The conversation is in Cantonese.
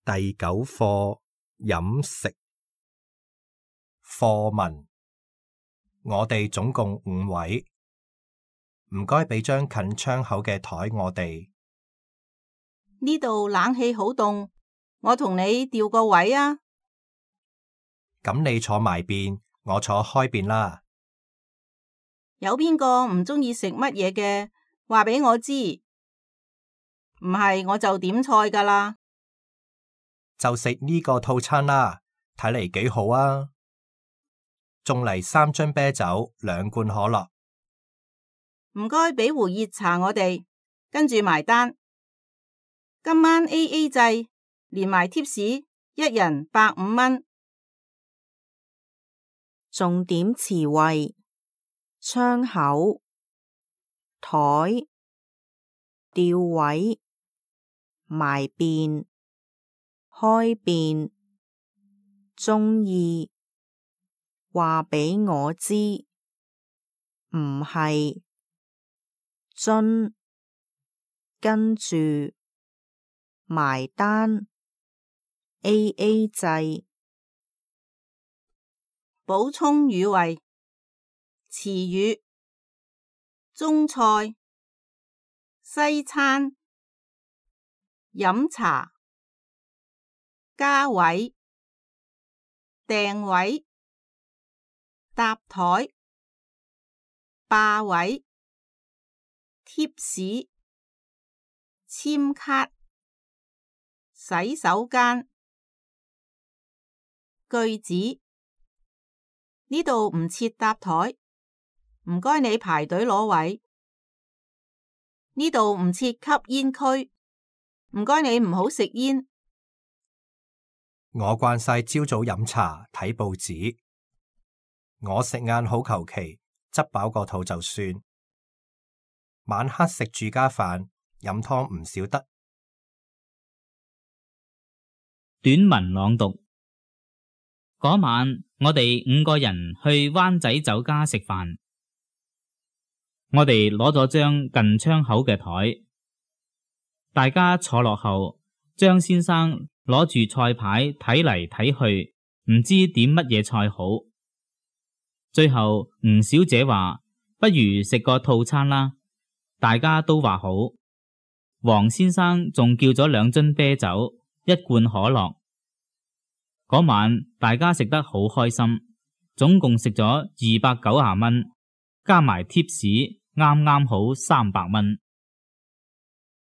第9課飲食課文，我哋總共5位，唔該俾張近窗口嘅台我哋。呢度冷氣好凍，我同你調個位啊。咁你坐埋邊，我坐開邊啦。有邊個唔鍾意食乜嘢嘅，話俾我知，唔係我就點菜㗎啦。就食呢個套餐啦，睇嚟幾好啊！仲嚟3樽啤酒，2罐可樂。唔該俾壺熱茶我哋，跟住埋單。今晚 AA 制，連埋貼士，一人150蚊。重點詞彙：窗口、台、調位、埋邊、開邊、鍾意、話俾我知、唔係、樽、跟住、埋單、AA 制。補充語彙：詞語：中菜、西餐、飲茶、加位、訂位、搭台、霸位、貼士、簽卡、洗手間。句子：呢度唔設搭台，唔該你排隊攞位。呢度唔設吸煙區，唔該你唔好食煙。我慣晒朝早飲茶睇報紙，我食晏好求其，執飽個肚就算。晚黑食住家飯，飲湯唔少得。短文朗讀。嗰晚我哋5個人去灣仔酒家食飯，我哋攞咗張近窗口嘅台，大家坐落後，張先生攞住菜牌睇嚟睇去，唔知點乜嘢菜好。最後吳小姐話不如食個套餐啦，大家都話好。黃先生仲叫咗2樽啤酒，1罐可樂。嗰晚大家食得好開心，總共食咗290蚊，加埋貼士啱啱好300蚊。